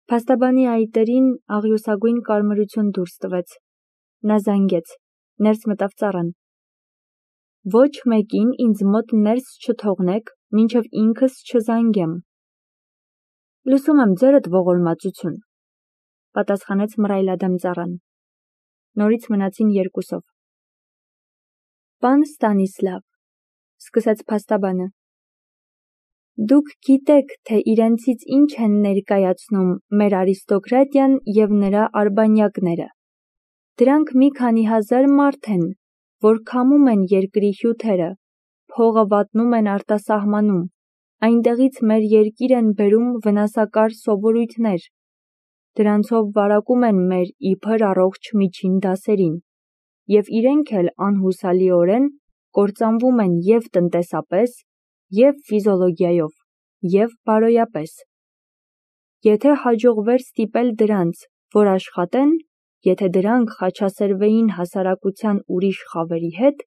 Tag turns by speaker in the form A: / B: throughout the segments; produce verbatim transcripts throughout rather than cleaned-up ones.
A: Փաստաբանի այտերին աղյուսագույն կարմրություն դուրս տվեց։ Նա զանգեց, ներս մտավ ծառան։ Ոչ մեկին ինձ մոտ ներս չթողնեք, մինչև ինքս չզանգեմ։ Լսում եմ ձերդ ողորմածություն, պատասխանեց մռայլադեմ ծառան։ Նորից մնացին երկուսով։ Պան Ստանիսլավ, սկսեց փաստաբանը, դուք գիտեք, թե իրենցից ինչ են ներկայացնում մեր արիստոկրատիան և նրա արբանյակները։ Դրանք մի քանի հազար մարդ են, որ քամում են երկրի հյութերը, փողը վատնում են արտասահմանում, այնտեղից մեր երկիր են բերում վնասակար սովորույթներ, դրանցով վարակում են մեր իբր առողջ միջին դասերին, և իրենք էլ անհուսալիորեն կործանվում են և տնտեսապես, և ֆիզիոլոգիայով, և բարոյապես։ Եթե հաջողվեր ստիպել դրանց, որ աշխատեն, եթե դրանք խաչասերվեին հասարակության ուրիշ խավերի հետ,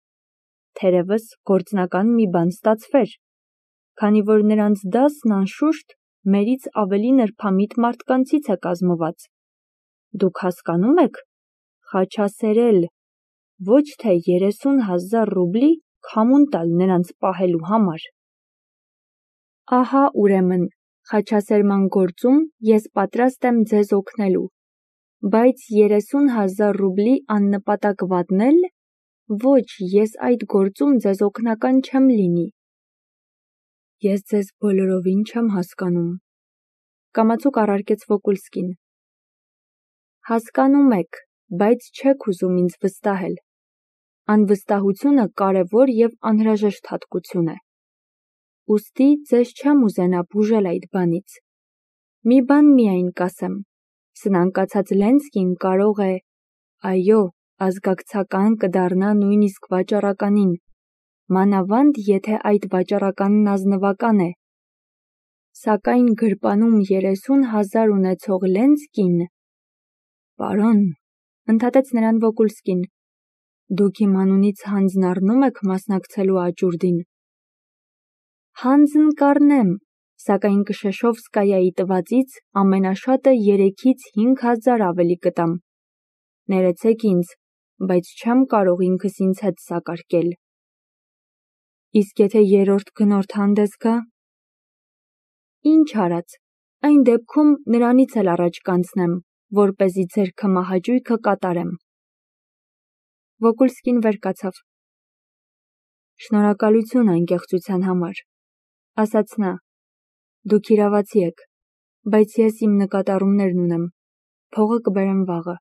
A: թերևս գործնական մի բան ստացվեր, քանի որ նրանց դասն անշուշտ մերից ավելի նրբամիտ մարդկանցից է կազմված։ Դուք հասկանում եք, խաչասերել, ոչ թե երեսուն հազար ռուբլի քամուն տալ նրանց պահելու համար։ Ահա ուրեմն, խաչասերման գործում ես պատրաստ եմ ձեզ օգնելու, բայց երեսուն հազար ռուբլի աննպատակ վատնել, ոչ, ես այդ գործում ձեզ օգնական չեմ լինի։ Ես ձեզ բոլորովին չեմ հասկանում, կամացուկ առարկեց Վոկուլսկին։ Հասկանում եք, բայց չեք ուզում ինձ վստահել։ Անվստահությունը կարևոր և անհրաժեշտ հատկություն է։ Ուստի ձեզ չեմ ուզենա բուժել այդ բանից։ Մի բան միայն կասեմ, սնանկացած Լենսկին կարող է, այո, ազգակցական կդառնա նույնիսկ վաճառականին, մանավանդ եթե այդ վաճառականն ազնվական է։ Սակայն գրպանում երեսուն հազար ունեցող Լենսկին… Պարոն, ընդհատեց նրան Վոկուլսկին, դուք իմ անունից հանձն առնու՞մ եք մասնակցելու աճուրդին։ Հանձն կառնեմ, սակայն Կշեշովսկայայի տվածից ամենաշատը երեքից հինգ հազար ավելի կտամ։ Ներեցեք ինձ, բայց չեմ կարող ինքս ինձ հետ սակարկել։ Իսկ եթե երրորդ գնորդ հանդես գա… Ինչ արած, այն դեպքում նրանից էլ առաջ կանցնեմ, որպեսզի ձեր քմահաճույքը կատարեմ։ Վոկուլսկին վեր կացավ։ Շնորհակալություն անկեղծության համար, ասաց նա, դուք իրավացի եք, բայց ես իմ նկատառումներն ունեմ, փողը կբերեմ վաղը,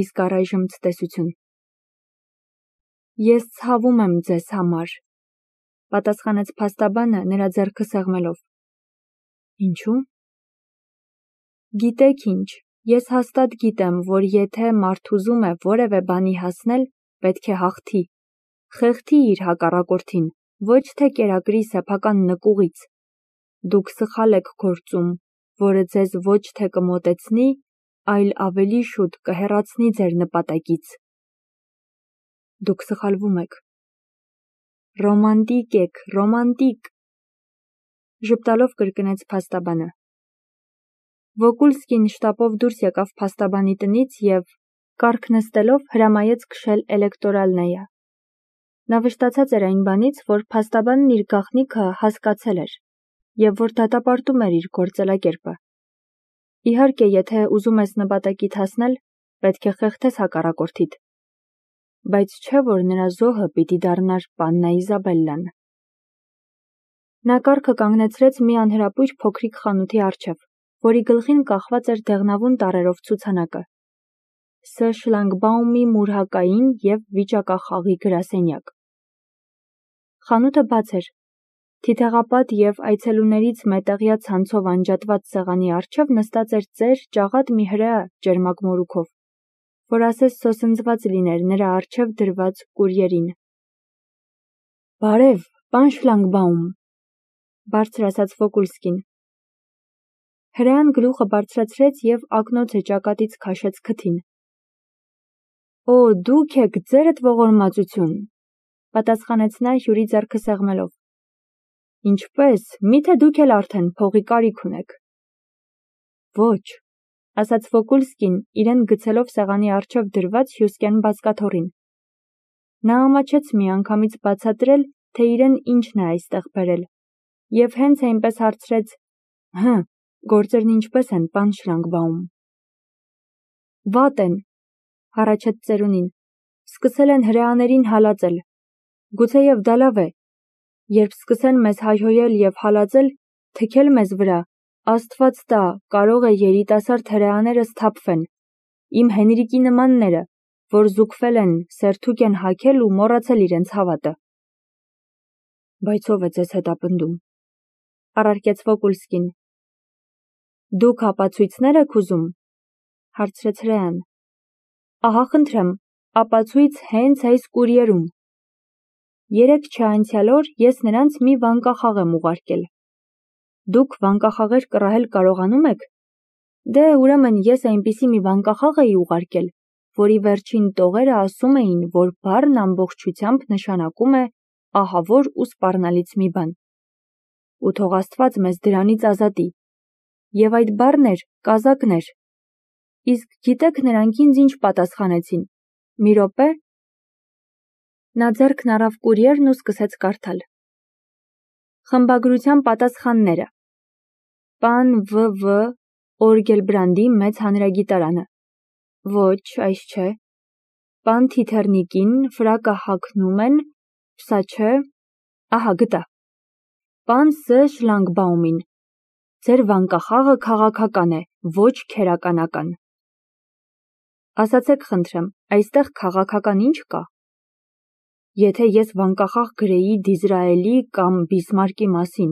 A: իսկ առայժմ ցտեսություն։ Ես ցավում եմ ձեզ համար, պատասխանեց փաստաբանը նրա ձեռքը սեղմելով։ Ինչու՞։ Գիտեք ինչ, ես հաստատ գիտեմ, որ եթե մարդ ուզում է որևէ բանի հասնել, պետք է հաղթի, խեղդի իր հակառակորդին, ոչ թե կերակրի սեփական նկուղից։ Դուք սխալ եք գործում, որը ձեզ ոչ թե կմոտեցնի, այլ ավելի շուտ կհեռացնի ձեր նպատակից։ Դուք սխալվում եք։ Ռոմանտիկ եք, ռոմանտիկ, ժպտալով կրկնեց փաստաբանը։ Վոկուլսկին շտապով դուրս եկավ փաստաբանի տնից և, կառք նստելով, հրամայեց քշել էլեկտորալնեա։ Նա վշտացած էր այն բանից, որ փաստաբանն իր գաղտնիքը հասկացել էր, և որ դատապարտում էր իր գործելակերպը։ Իհարկե, եթե ուզում ես նպատակիդ հասնել, պետք է խեղդես հակառակորդիդ, բայց չէ, որ նրա զոհը պիտի դառնար պաննա Իզաբելլան։ Նա կառքը կանգնեցրեց մի անհրապույր փոքրիկ խանութի առջև, որի գլխին կախված էր դեղնավուն տառերով ցուցանակը՝ Ս. Շլագբաումի մուրհակային և վիճակախաղի գրասենյակ։ Խանութը բաց էր։ Թիթեղապատ և այցելուներից մետեղյա ցանցով անջատված սեղանի առջև նստած էր ծեր, ճաղատ մի հրեա ճերմակ մորուքով, որ ասես սոսնձված լիներ նրա առջև դրված կուրьերին։ Բարև, պան Շլագբաում, բարձր ասաց Վոկուլսկին։ Հրեան գլուխը բարձրացրեց և ակնոցը ճակատից քաշեց քթին։ Օ, դուք եք, ձերդ ողորմածություն, պատասխանեց նա հյուրի ձեռքը սեղմելով։ Ինչպե՞ս, միթե դուք էլ արդեն փողի կարիք ունեք։ Ոչ, ասաց Վոկուլսկին, իրեն գցելով սեղանի առջև դրված հյուսկեն բազկաթոռին։ Նա ամաչեց միանգամից բացատրել, թե իրեն ինչն է այստեղ բերել, և հենց այնպես հարցրեց. «Հը, գործերն ինչպե՞ս են, պան Շլանգբաում»։ Վատ են, հառաչեց ծերունին, սկսել են հրեաներին հալածել։ Գուցեև դա լավ է, երբ սկսեն մեզ հայհոյել և հալածել, թքել մեզ վրա, Աստված տա, կարող է երիտասարդ հրեաները սթափվեն, իմ Հենրիկի նմանները, որ զուգվել են, սերթուկ են հագել ու մոռացել իրենց հավատը։ Բայց ով է ձեզ հետապնդում, առարկեց Վոկուլսկին։ Դուք ապացույցներ եք ուզում, հարցրեց հրեան։ Ահա խնդրեմ, ապացույց հենց այս կուրիերում։ Երեկ չէ անցյալ օր ես նրանց մի վանկախաղ եմ ուղարկել։ Դուք վանկախաղեր կռահել կարողանում եք։ Դե ուրեմն ես այնպիսի մի վանկախաղ էի ուղարկել, որի վերջին տողերը ասում էին, որ բառն ամբողջությամբ նշանակում է ահավոր ու սպառնալից մի բան։ Ու թող Աստված մեզ դրանից ազատի։ Եվ այդ բառն էր կազակներ։ Իսկ գիտեք նրանք ինձ ինչ պատասխանեցին։ Մի րոպե։ Նա ձեռքն առավ կուրիերն ու սկսեց կարդալ։ Խմբագրության պատասխանները։ Պան Վ Վ Օրգելբրանդի մեծ հանրագիտարանը։ Ոչ, այս չէ։ Պան Թիթեռնիկին ֆրակը հագնում են, փսա չէ։ Ահա գտա։ Պան Ս Շլանգբաումին։ Ձեր վանկախաղը քաղաքական է, ոչ քերականական։ Ասացեք խնդրեմ, այստեղ քաղաքական ինչ կա։ Եթե ես վանկախաղ գրեի Դիզրայելի կամ Բիսմարկի մասին,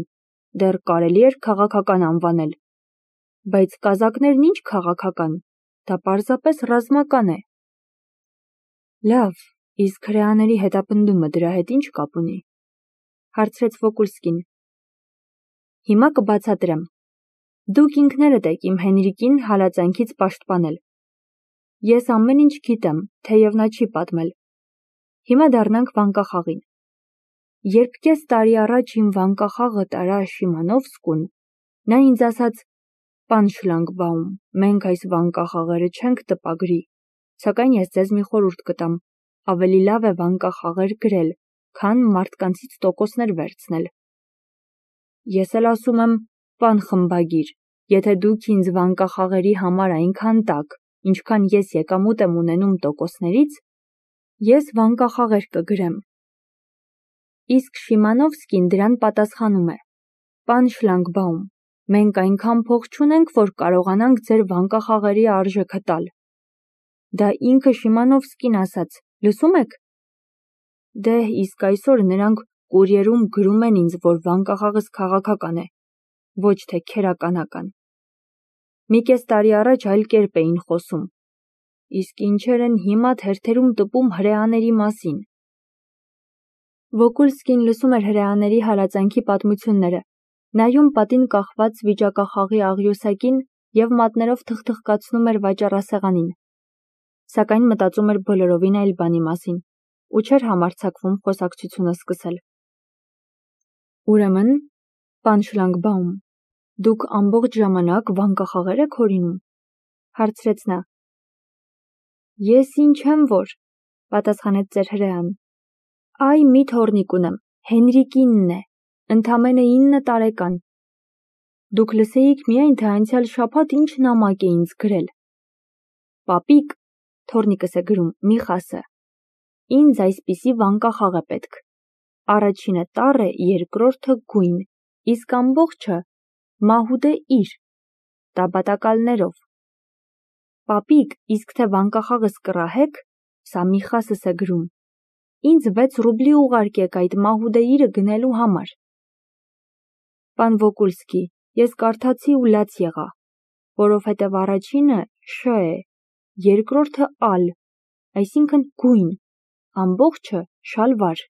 A: դեռ կարելի էր քաղաքական անվանել։ Բայց կազակներն ինչ քաղաքական, դա պարզապես ռազմական է։ Լավ, իսկ հրեաների հետապնդումը դրա հետ ինչ կապ ունի, հարցրեց Վոկուլսկին։ Հիմա կբացատրեմ։ Դուք ինքներդ եք իմ Հենրիկին հալածանքից պաշտպանել։ Ես ամեն ինչ գիտեմ, թեև նա չի պատմել։ Հիմա դառնանք վանկախաղին։ Երբ կես տարի առաջ իմ վանկախաղը տարա Շիմանովսկուն, նա ինձ ասաց. Պան Շլանգբաում, մենք այս վանկախաղերը չենք տպագրի, սակայն ես ձեզ մի խորհուրդ կտամ, ավելի լավ է վանկախաղեր գրել, քան մարդկանցից տոկոսներ վերցնել։ Ես էլ ասում եմ, պան խմբագիր, եթե դուք ինձ վանկախաղերի համար այնքան տաք, ինչքան ես եկամուտ եմ ունենում տոկոսներից, ես վանկախաղեր կգրեմ։ Իսկ Շիմանովսկին դրան պատասխանում է. Պան Շլանգբաում, մենք այնքան փող չունենք, որ կարողանանք ձեր վանկախաղերի արժեքը տալ։ Դա ինքը Շիմանովսկին ասաց, լսում եք։ Դե իսկ այսօր նրանք կուրիերում գրում են ինձ, որ վանկախաղս քաղաքական է, ոչ թե քերականական։ Մի կես տարի առաջ այլ կերպ էին խոսում։ Իսկ ինչեր են հիմա թերթերում տպում հրեաների մասին։ Վոկուլսկին լսում էր հրեաների հալածանքի պատմությունները, նայում պատին կախված վիճակախաղի աղյուսակին և մատներով թխթխկացնում էր վաճառասեղանին։ Սակայն մտածում էր բոլորովին այլ բանի մասին ու չէր համարձակվում խոսակցությունը սկսել։ Ուրեմն, պան Շլանգբաում, դուք ամբողջ ժամանակ վանկախաղեր եք հորինում, հարցրեց նա։ Ես ինչ եմ որ, պատասխանեց ծեր հրեան։ Այ մի թոռնիկ ունեմ, Հենրիկինն է, ընդամենը ինը տարեկան։ Դուք լսեիք միայն, թե անցյալ շաբաթ ինչ նամակ է ինձ գրել։ Պապիկ, թոռնիկս է գրում, Միխասը, ինձ այսպիսի վանկախաղ է պետք։ Առաջինը տառ է, երկրորդը գույն, իսկ ամբողջը մահուդե իր, տաբատակալներով։ Պապիկ, իսկ թե վանկախաղս կռահեք, սա Միխասս է գրում, ինձ վեց ռուբլի ուղարկեք այդ մահուդե իրը գնելու համար։ Պան Վոկուլսկի, ես կարդացի ու լաց եղա, որովհետև առաջինը շ է, երկրորդը ալ, այսինքն գույն, ամբողջը շալվար։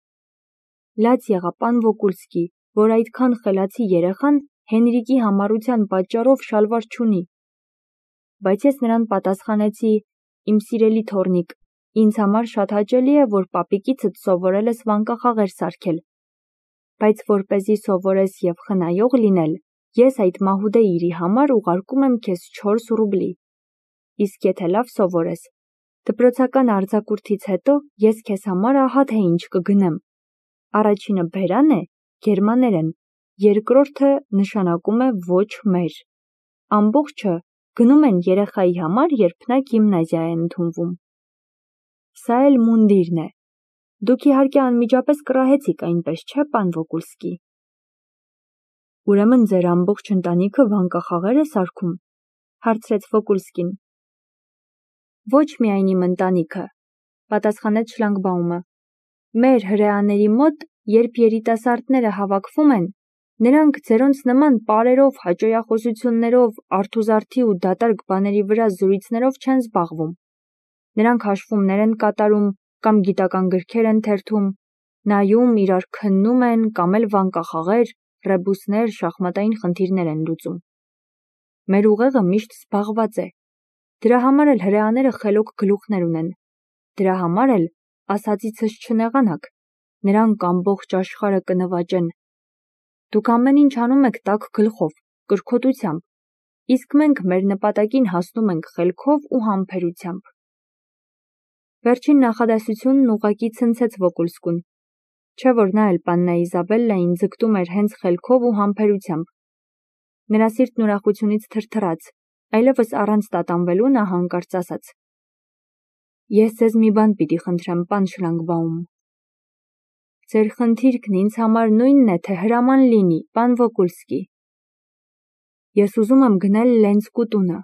A: Լաց եղա պան Վոկուլսկի, որ այդքան խելացի երեխան Հենրիկի համառության պատճառով շալվար չունի։ Բայց ես նրան պատասխանեցի. իմ սիրելի թոռնիկ, ինձ համար շատ հաճելի է, որ պապիկիցդ սովորել ես վանկախաղեր սարքել, բայց որպեսզի սովորես և խնայող լինել, ես այդ մահուդե իրի համար ուղարկում եմ քեզ չորս ռուբլի։ իսկ եթե լավ սովորես, դպրոցական արձակուրդից հետո ես քեզ համար ահա թե ինչ կգնեմ։ Առաջինը բերան է, գերմաներեն, երկրորդը նշանակում է ոչ մեր։ Ամբողջը գնում են երեխայի համար, երբ նա գիմնազիա է ընդունվում։ Սա էլ մունդիրն է։ Դուք իհարկե անմիջապես կռահեցիք, այնպես չէ, պան Վոկուլսկի։ Ուրեմն ձեր ամբողջ ընտանիքը վանկախաղեր է սարքում, հարցրեց Վոկուլսկին։ Ոչ միայն իմ ընտանիքը, պատասխանեց Շլանգբաումը։ Մեր հրեաների մոտ, երբ երիտասարդները հավաքվում են, նրանք ձերոնց նման պարերով, հաճոյախոսություններով, արթուզարդի ու դատարկ բաների վրա զրույցներով չեն զբաղվում։ Նրանք հաշվումներ են կատարում կամ գիտական գրքեր են թերթում, նայում, իրար քննում են կամ էլ վանկախաղեր, ռեբուսներ, շախմատային խնդիրներ են լուծում։ Մեր ուղեղը միշտ զբաղված է։ Դրա համար էլ հրեաները խելոք գլուխներ ունեն։ Դրա համար էլ, ասածիցս չնեղանաք, նրանք ամբողջ աշխարհը կնվաճեն։ Դուք ամեն ինչ անում եք տաք գլխով, կրքոտությամբ, իսկ մենք մեր նպատակին հասնում ենք խելքով ու համբերությամբ։ Վերջին նախադասությունն ուղղակի ցնցեց Վոկուլսկուն, չէ՞ որ նա էլ Պաննա Իզաբելլային ձգտում էր հենց խելքով ու համբերությամբ։ Նրա սիրտն ուրախությունից թրթռաց, այլևս առանց տատանվելու նա հանկարծ ասաց. Ես ձեզ մի բան պիտի խնդրեմ, պան Շլանգբաում։ Ձեր խնդիրքն ինձ համար նույնն է, թե հրաման լինի, պան Վոկուլսկի։ Ես ուզում եմ գնել Լենսկու տունը։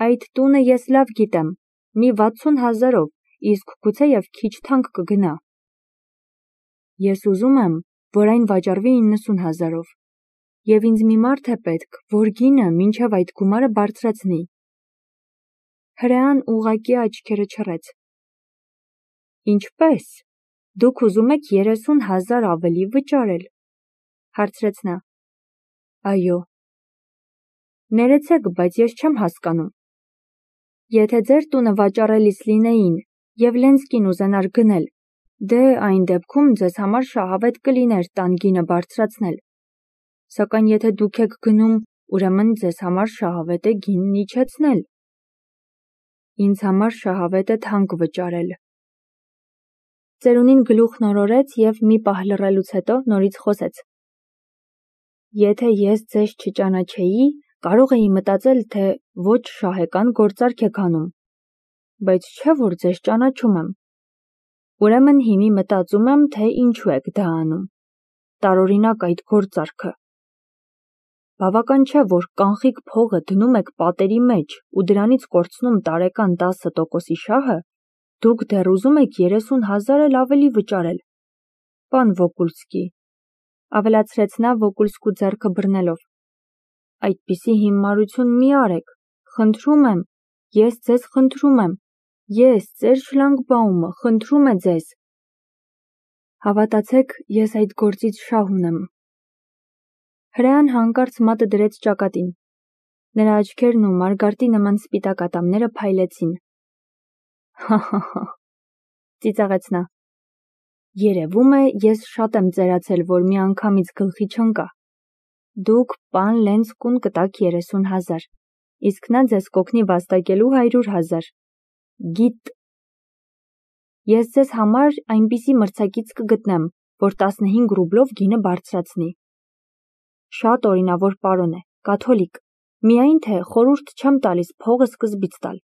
A: Այդ տունը ես լավ գիտեմ, մի վաթսուն հազարով, իսկ գուցեև քիչ թանկ կգնա։ Ես ուզում եմ, որ այն վաճառվի իննսուն հազարով, և ինձ մի մարդ է պետք, որ գինը մինչև այդ գումարը բարձրացնի։ Հրեան ուղղակի աչքերը չռեց։ Ինչպե՞ս, դուք ուզում եք երեսուն հազար ավելի վճարել, հարցրեց նա։ Այո։ Ներեցեք, բայց ես չեմ հասկանում։ Եթե ձեր տունը վաճառելիս լինեին, և Լենսկին ուզենար գնել, դե այն դեպքում ձեզ համար շահավետ կլիներ տան գինը բարձրացնել։ Սակայն եթե դուք եք գնում, ուրեմն ձեզ համար շահավետ է գինն իջեցնել։ Ինձ համար շահավետ է թանկ վճարել։ Ծերունին գլուխն օրորեց և մի պահ լռելուց հետո նորից խոսեց։ Եթե ես ձեզ չճանաչեի, կարող էի մտածել, թե ոչ շահեկան գործարք եք անում, բայց չէ որ ձեզ ճանաչում եմ։ Ուրեմն հիմի մտածում եմ, թե ինչու եք դա անում։ Տարօրինակ այդ գործարքը։ Բավական չէ, որ կանխիկ փողը դնում եք պատերի մեջ ու դրանից կորցնում տարեկան տասը տոկոսի շահը, դուք դեռ ուզում եք երեսուն հազար էլ ավելի վճարել։ Պան Վոկուլսկի, ավելացրեց նա Վոկուլսկու ձեռքը բռնելով, այդպիսի հիմարություն մի արեք, խնդրում եմ, ես ձեզ խնդրում եմ, ես, ձեր Շլանգբաումը, խնդրում է ձեզ։ Հավատացեք, ես այդ գործից շահ ունեմ։ Հրեան հանկարծ մատը դրեց ճակատին։ Նրա աչքերն ու մարգարտի նման սպիտակ ատամները փայլեցին։ Հա-հա-հա, ծիծաղեց նա։ Երևում է, ես շատ եմ ծերացել, որ մի անգամից գլխի չընկա։ Դուք պան Լենսկուն կտաք երեսուն հազար, իսկ նա ձեզ կօգնի վաստակելու հարյուր հազար։ Գիտ։ Ես ձեզ համար այնպիսի մրցակից կգտնեմ, որ տասնհինգ ռուբլով գինը բարձրացնի։ Շատ օրինավոր պարոն է, կաթոլիկ, միայն թե խորհուրդ չեմ տալիս փողը սկզբից տալ։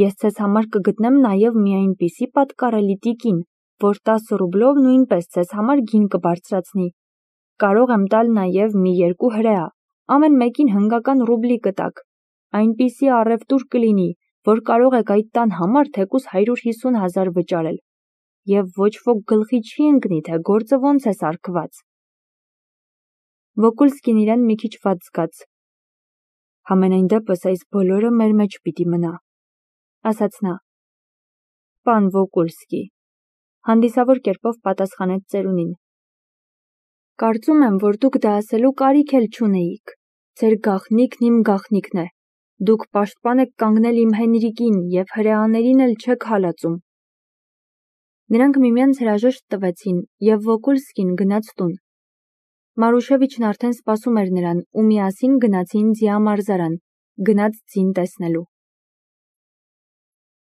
A: Ես ձեզ համար կգտնեմ նաև մի այնպիսի պատկառելի տիկին, որ տասը ռուբլով նույնպես ձեզ համար գին կբարձրացնի։ Կարող եմ տալ նաև մի երկու հրեա, ամեն մեկին հնգական ռուբլի կտակ։ Այնպիսի առևտուր կլինի, որ կարող եք այդ տան համար թեկուզ հարյուր հիսուն հազար վճարել։ Եվ ոչ ոք գլխի չի ընկնի, թե գործը ոնց է սարքված։ Վոկուլսկին իրեն մի քիչ վատ զգաց։ Համենայն դեպս այս բոլորը մեր մեջ պիտի մնա, ասաց նա։ Պան Վոկուլսկի, հանդիսավոր կերպով պատասխանեց ծերունին։ Կարծում եմ, որ դուք դա ասելու կարիք էլ չունեիք։ Ձեր գաղտնիքն իմ գաղտնիքն է։ Դուք պաշտպան եք կանգնել իմ Հենրիկին և հրեաներին էլ չեք հալածում։ Նրանք միմյանց հրաժեշտ տվեցին, և Վոկուլսկին գնաց տուն։ Մարուշևիչն արդեն սպասում էր նրան ու միասին գնացին ձիամարզարան, Գնաց ձին տեսնելու։